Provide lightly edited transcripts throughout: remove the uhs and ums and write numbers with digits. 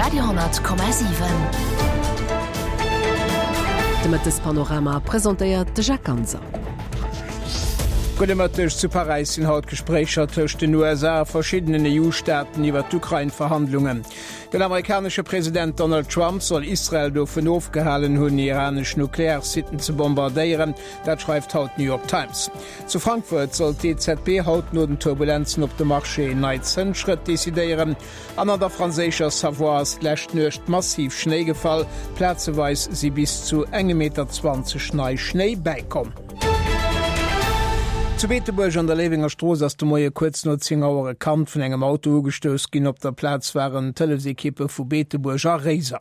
Radio 10,7. De Mëttespanorama presentéiert de Jacques Ganser. Gudde Mëtteg. Zu Paräis sinn haut Gespréicher tëscht den USA a verschiddenen EU-Staaten iwwer d'Ukrain-Verhandlungen. Den amerikanesche President Donald Trump soll Israel dovun ofgehalen hunn, iranesch Nuklearsitten ze bombardéieren. Dat schreift haut d'New York Times. Zu Frankfurt soll d'EZB haut no den Turbulenzen op de Marché nei Zënsschrëtt decidéieren. An an der franséischer Savoie ass d'lescht Nuecht massiv Schnéi gefall. Plazeweis si bis zu engem Meter 20 nei Schnéi bäikomm. Zu Beetebuerg an der Léiwenger Strooss ass de Moie kuerz no 10 Auer e Kand vun engem Auto ugestouss ginn. Op der Plaz waren d'Hëllefsekippe vu Beetebuerg a Réiser.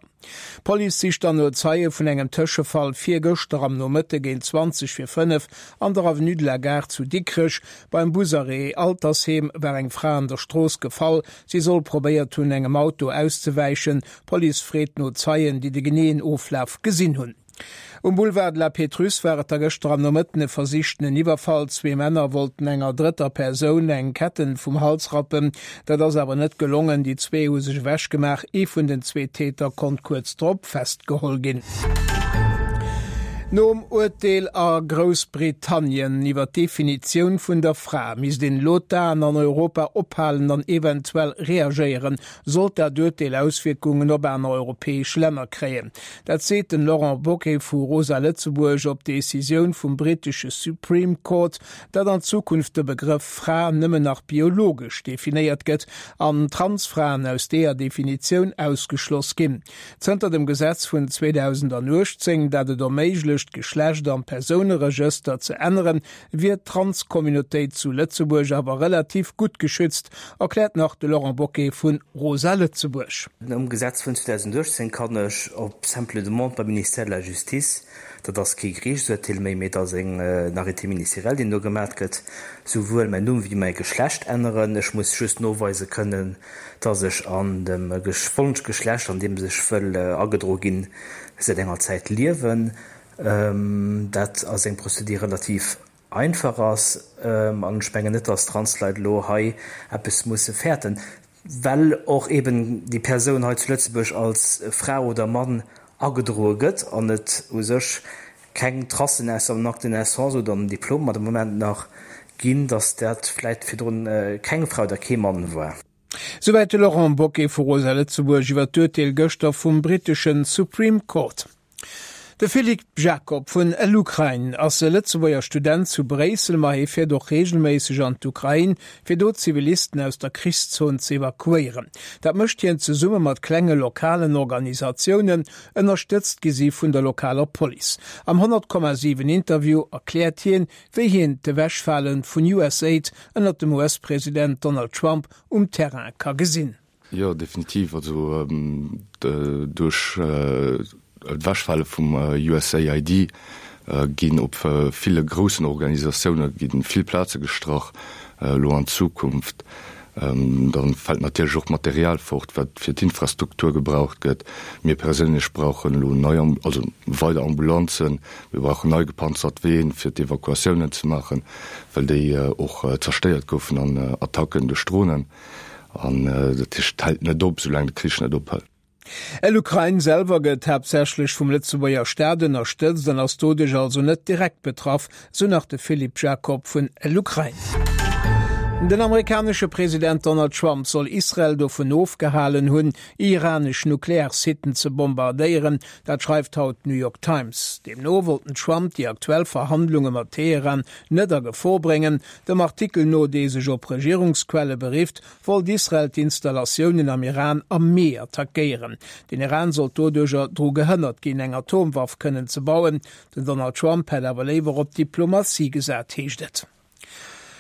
D'Police sicht dann no Zeie vun engem Tëschefall virgëschter am Nomëtte géint 20 vir 5 an der Avenue de la Gare zu Dikrech. Beim Busarrêt Altersheem war eng Fra an der Strooss gefall. Si soll probéiert hunn, engem Auto auszewäichen. D'Police freet no Zeien, déi de geneeën Oflaf gesinn hunn. Um Boulevard de la Pétrusse war et da gëschter am Nomëtten e versichtenen Iwwerfall. Zwee Männer wollten enger drëtter Persoun eng Ketten vum Hals rappen. Dat ass awer net gelongen. Déi zwee hu sech ewech gemaach. Ee vun den zwee Täter konnt kuerz drop festgeholl ginn. Nom Urteel a Groussbritannien iwwer d'Definitioun vun der Fra misst een elo d'Aen an Europa ophalen an eventuell reagéieren, sollt dat Urteel Auswierkungen op aner europäesch Länner kréien. Dat seet den Laurent Bocquet vu Rosa Lëtzebuerg op d'Decisioun vum brittesche Supreme Court, datt an Zukunft de Begrëff Fra nëmmen nach biologesch definéiert gëtt an Transfraen aus deeër Definitioun ausgeschloss ginn. Zënter dem Gesetz vun 2018, dat et erméiglecht, d'Geschlecht am Persouneregëster ze änneren, wier d'Trans-Communautéit zu Lëtzebuerg awer relativ gutt geschützt, erkläert nach de Laurent Bocquet vu Rosa Lëtzebuerg. Nom Gesetz vun 2018 kann ech op simple demande beim Ministère de la Justice, dat ass kee Geriichtsurteel méi, mee et ass en Arrêté ministériel, deen do gemat gëtt, souwuel mäin Numm wéi mäi Geschlecht änneren. Ech muss just noweise kënnen, dass ech an dem Wonschgeschlecht, an deem ech wëll agedro ginn, säit enger Zäit liewen. Dat ass eng Prozedur, déi relativ einfach ass. An ech mengen net, dass d'Transleit elo hei eppes musse fäerten, well och eben déi Persoun hei zu Lëtzebuerg als Fra oder Mann agedroe gëtt an et u sech keng Tracen ausser am Acte de naissance oder am Diplom de Moment nach ginn, dass dat vläicht virdrun keng Fra oder kee Mann war. Souwäit de Laurent Bocquet vu Rosa Lëtzebuerg iwwer d'Urteel gëschter vum brittesche Supreme Court. De Philippe Jacob vun LUkraine ass e Lëtzebuerger Student zu Bréissel, ma hie fiert och reegelméisseg an d'Ukrain, fir do Zivilisten aus der Krichszon ze evakuéieren. Dat mécht hien zesumme mat klenge lokalen Organisatiounen, ënnerstëtzt gi si vun der lokaler Police. Am 100,7 Interview erkläert hien, wéi hien d'Ewechfale vun USAID ënnert dem US-President Donald Trump um Terrain ka gesinn. Jo, definitiv. Also duerch d'Ewechfale vum USAID ginn op ville groussen Organisatioune gi vill Plaze gestrach elo an Zukunft. Da fält natierlech och Material fort, wat fir d'Infrastruktur gebraucht gëtt. Mir perséinlech brauchen elo nei, also weider Ambulanzen. Mir brauchen nei gepanzert Ween, fir d'Evakuatiounen ze maachen, well déi och zerstéiert goufen an Attacken duerch Dronen. An dat heescht, et hält net op, soulaang de Krich net ophält. L'Ukrain selwer gëtt haaptsächlech vum Lëtzebuerger Staat ënnerstëtzt an ass doduerch also net direkt betraff, sou nach de Philippe Jacob vun L'Ukrain. Den amerikanesche President Donald Trump soll Israel dovun ofgehalen hunn, iranesch Nuklearsitten ze bombardéieren. Dat schreift haut d'New York Times. Deemno wollt den Trump déi aktuell Verhandlunge mat Teheran net a Gefor bréngen. Dem Artikel no, dee sech op Regierungsquelle berifft, wollt Israel d'Installatiounen am Iran am Mee attackéieren. Den Iran sollt doduercher dru gehënnert ginn, eng Atomwaff kënnen ze bauen. Den Donald Trump hätt awer léiwer op Diplomatie gesat, heescht et.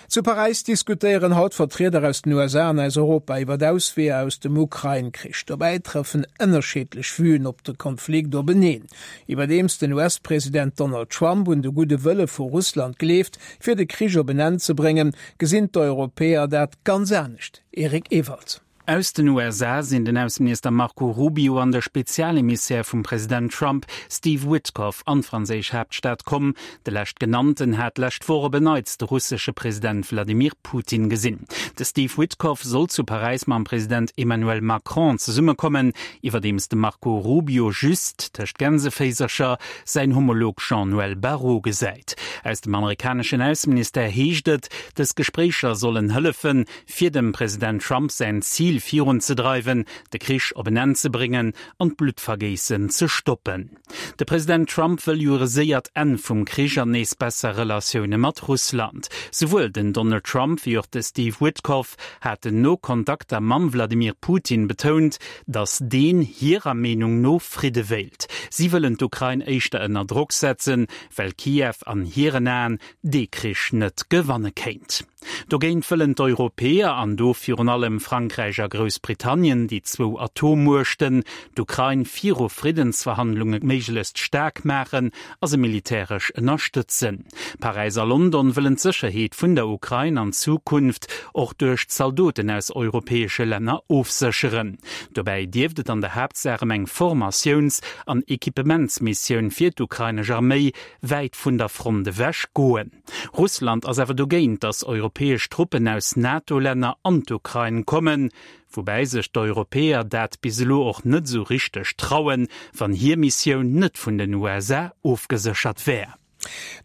Zu Paräis diskutéieren haut Vertrieder aus den USA an aus Europa iwwer Ausweeër aus dem Ukrain-Krich. Dobäi trëffen ënnerschiddlech Vuen op de Konflikt openeen. Iwwerdeems den US-President Donald Trump un de gudde Wëlle vu Russland gleeft, fir de Krich op en Enn ze bréngen, gesinn d'Europäer dat ganz anescht. Eric Ewald. Aus den USA sinn den Ausseminister Marco Rubio an de Spezialemissär vum President Trump, Steve Witkoff, an d'franséisch Haaptstad komm. De leschtgenannten hat d'lescht Woch op en Neits de russesche President Wladimir Putin gesinn. De Steve Witkoff soll zu Paräis mam President Emmanuel Macron zesummekommen, iwwerdeems de Marco Rubio just, tëscht Gänseféisercher, säin Homolog Jean-Noël Barrot gesäit. Aus dem amerikaneschen Ausseministère heescht et, dës Gespréicher sollen hëllefen, fir dem President Trump säin Zil virunzedreiwen, de Krich op en Enn ze bréngen an d'Bluttvergéissen ze stoppen. De President Trump wëll jo e séiert Enn vum Krich an nees besser Relatioune mat Russland. Souwuel den Donald Trump wéi och de Steve Witkoff haten no Kontakter mam Wladimir Putin betount, datt deen hirer Meenung no Fridde wéilt. Si wëllen d'Ukrain éischter ënner Drock setzen, well Kiew an hiren Aen dee Krich net gewanne kéint. Dogéint wëllen d'Europäer, an do virun allem Frankräich a Groussbritannien, déi zwou Atommuechten, d'Ukrain viru Friddensverhandlunge méiglechst staark maachen a se militäresch ënnerstëtzen. Paräis a London wëllen d'Sécherheet vun der Ukrain an Zukunft och duerch Zaldoten aus europäesche Länner ofsécheren. Dobäi dierft et an der Haaptsaach ëm eng Formatiouns an Equipementsmissioun fir d'ukrainesch Arméi wäit vun der Front ewech goen. Russland ass awer dogéint, datt europäesch Truppen aus NATO-Länner an d'Ukrain kommen, woubäi sech d'Europäer dat bis elo och net esou richteg trauen, wann hir Missioun net vun den USA ofgeséchert wär.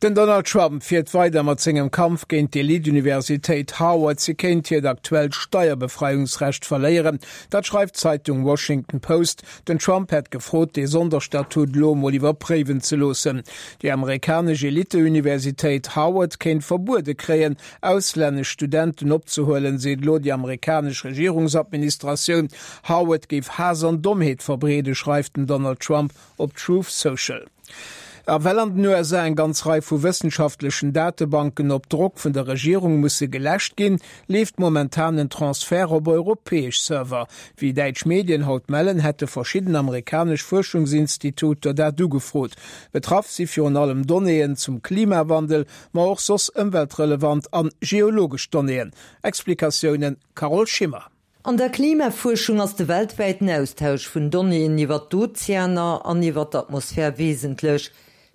Den Donald Trump fiert weider mat sengem Kampf géint d'Elite-Universitéit Harvard. Si kéint hiert aktuellt Steierbefreiungsrecht verléieren. Dat schreift d'Zeitung Washington Post. Den Trump hätt gefrot, dee Sonderstatut elo emol iwwerpréiwen ze loossen. Déi amerikanesch Elite-Universitéit Harvard kéint verbuede kréien, auslännesch Studenten opzehuelen, seet elo déi amerikanesch Regierungsadministratioun. Harvard géif Haass an Dommheet verbreeden, schreift den Donald Trump op Truth Social. A well an den USA eng ganz Rei vu wëssenschaftlechen Datebanken op Drock vun der Regierung musse geläscht ginn, leeft momentan en Transfert op europäesch Server. Wéi däitsch Medien haut mellen, hätte verschidden amerikanesch Fuerschungsinstituter dat ugefrot. Betraff si virun allem Donnéeën zum Klimawandel, ma och soss ëmweltrelevant an geologesch Donnéeën. Explikatiounen Carole Schimmer. An der Klimafuerschung ass de weltwäiten Austausch vun Donnéeën iwwer d'Ozeaner an iwwer d'Atmosphär wesentlech.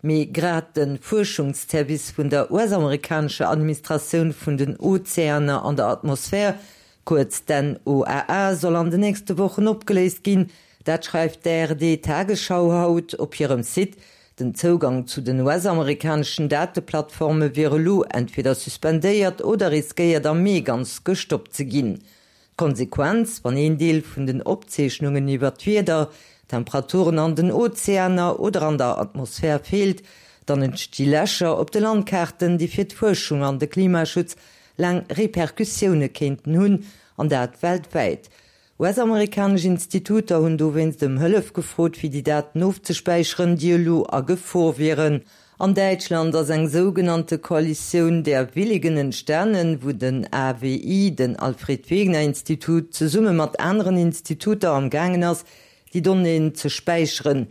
Mee grad de Fuerschungsservice vun der US-amerikanescher Administratioun vun den Ozeaner an der Atmosphär, kuerz d'NOAA, soll an de nächste Wochen opgeléist ginn. Dat schreift d'ARD Tagesschau haut op hirem Site. Den Zougang zu den US-amerikaneschen Dateplattforme wier elo entweder suspendéiert oder riskéiert am Mee ganz gestoppt ze ginn. D'Konsequenz, wann een Deel vun den Opzeechnungen iwwer d'Wieder, Temperaturen an den Ozeaner oder an der Atmosphär feelt, dann entsti Lächer op de Landkaarten, déi fir d'Fuerschung an de Klimaschutz laang Repercussioune kéinten hunn, an dat weltwäit. US-amerikanesch Instituter hunn dowéinst ëm Hëllef gefrot, fir déi Daten ofzespäicheren, déi elo a Gefor wieren. An Däitschland ass eng sougenannte Koalitioun der Willigen entstanen, wou den AWI, den Alfred Wegener Institut, zesumme mat aneren Instituter am gaangen ass, déi Donnéeën ze späicheren.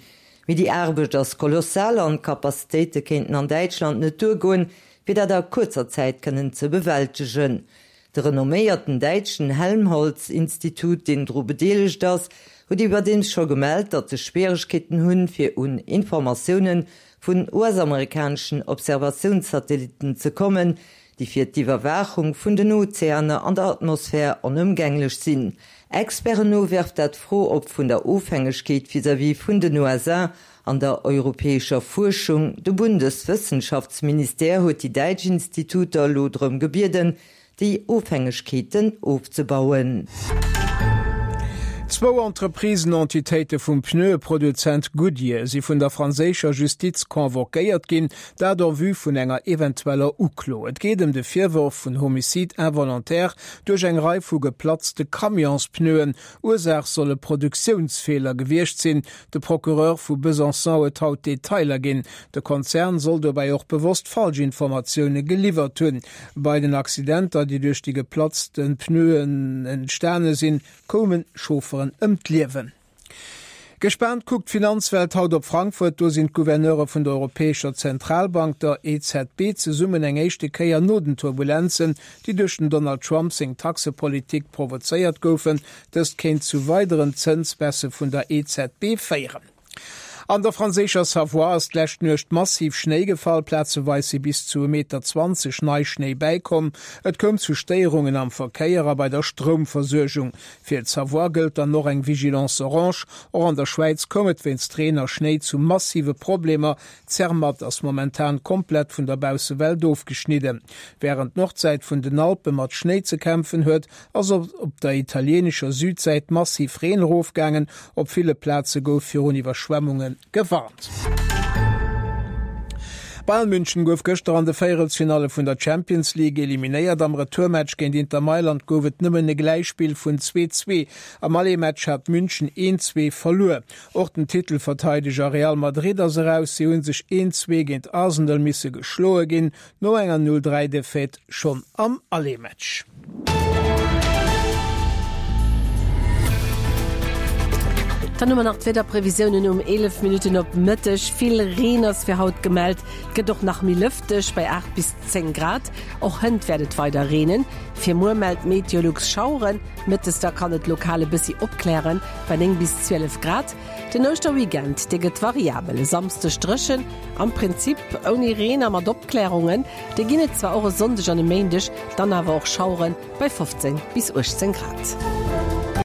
Mee déi Aarbecht ass kolossal an d'Capacitéite kéinten an Däitschland net duergoen, fir dat a kuerzer Zäit kënnen ze bewältegen. De renomméierten däitschen Helmholtz-Institut, deen dru bedeelegt ass, huet iwwerdeems scho gemellt, datt se Schwieregkeeten hunn, fir un Informatioune vun US-amerikaneschen Observatiounssatellitten ze kommen, déi fir d'Iwwerwaachung vun den Ozeaner an der Atmosphär onëmgänglech sinn. Experten no werft dat d'Fro op vun der Ofhängegkeet vis-à-vis vun den USA an der europäescher Fuerschung. De Bundeswëssenschaftsministère huet déi däitsch Instituter elo drëm gebieden, déi Ofhängegkeeten ofzebauen. Zwou Entreprisen-Entitéite vum Pneueproduzent Goodyear si vun der franséischer Justiz convoquéiert ginn, dat en vue vun enger eventueller Uklo. Et geet ëm de Virworf vun Homicide involontaire duerch eng Rei vu geplatzte Camionspneuen. Ursaach soll e Produktiounsfeeler gewiescht sinn. De Procureur vu Besançon huet haut Detailer ginn. De Konzern soll dobäi och bewosst falsch Informatioune geliwwert hunn. Bei den Accidenter, déi duerch déi geplatzte Pneuen entstane sinn, koume Chaufferen ëm d'Liewen. Gespaant kuckt d'Finanzwelt haut op Frankfurt. Do sinn d'Gouverneure vun der Europäescher Zentralbank, der EZB, zesummen eng éischte Kéier no den Turbulenzen, déi duerch den Donald Trump seng Taxepolitik provozéiert goufen. Dëst kéint zu weideren Zënsbaissë vun der EZB féieren. An der franséischer Savoie ass d'lescht Nuecht massiv Schnéi gefall. Plazeweis si bis zu e Meter 20 Neischnéi bäikomm. Et koum zu Stéierungen am Verkéier a bei der Stroumversuergung. Fir d'Savoie gëllt dann och eng Vigilance orange. Och an der Schwäiz koum et wéinst Reen a Schnéi zu massive Problemer. Zermatt ass momentan komplett vun der Baussewelt ofgeschnidden. Wärend d'Nordsäit vun den Alpe mat Schnéi ze kämpfen huet, ass op der italieenescher Südsäit massiv Reen erofgaangen. Op ville Plaze gouf virun Iwwerschwemmunge gewarnt. Bayern München gouf gëschter an de Véierelsfinalle vun der Champions League eliminéiert. Am Retourmatch géint Inter Mailand gouf et nëmmen e Gläichspill vun 2, 2. Am Aller-Match hat München 1, 2 verluer. Och den Titelverteideger Real Madrid ass eraus. Si hu sech 1, 2 géint Arsenal misse geschloe ginn. No enger 0, 3 Defaite schonn am Aller-Match. Dann hu mer nach d'Wiederprevisiounen um 11 Minutten op Mëtteg. Vill Reen ass fir haut gemellt, et gëtt och nach méi lëfteg bei 8 bis 10 Grad. Och hënt wäert et weider reenen. Fir muer mellt Meteolux Schaueren, mëttes da kann et lokal e bëssi opklären bei 9 bis 12 Grad. Den Ouschterweekend, dee gëtt variabel, e Samsdeg dréchen, am Prinzip ouni Reen a mat Opklärungen. Déi ginn et zwar och e Sonndeg an e Méindeg, dann awer och Schauere bei 15 bis 18 Grad.